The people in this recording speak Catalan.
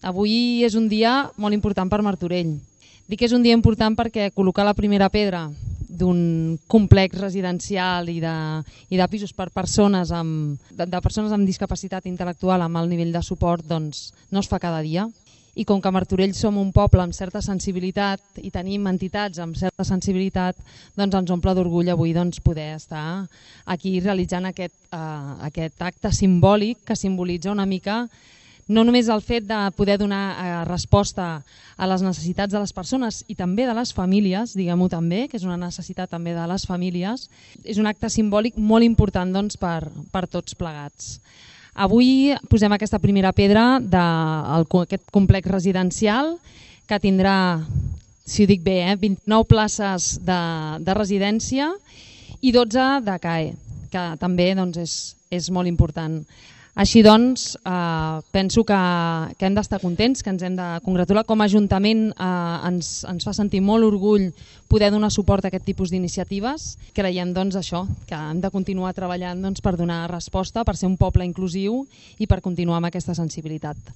avui és un dia molt important per Martorell. Dic que és un dia important perquè col·locar la primera pedra d'un complex residencial i de pisos per persones persones amb discapacitat intel·lectual amb alt nivell de suport doncs, no es fa cada dia. I com que a Martorell som un poble amb certa sensibilitat i tenim entitats amb certa sensibilitat, doncs ens omple d'orgull avui poder estar aquí realitzant aquest acte simbòlic que simbolitza una mica no només el fet de poder donar resposta a les necessitats de les persones i també de les famílies, diguem-ho també, que és una necessitat també de les famílies, és un acte simbòlic molt important per tots plegats. Avui posem aquesta primera pedra d'aquest complex residencial que tindrà, si ho dic bé, 29 places de residència i 12 de CAE, que també és molt important. Així doncs, penso que hem d'estar contents, que ens hem de congratular. Com a Ajuntament ens fa sentir molt orgull poder donar suport a aquest tipus d'iniciatives. Creiem que hem de continuar treballant per donar resposta, per ser un poble inclusiu i per continuar amb aquesta sensibilitat.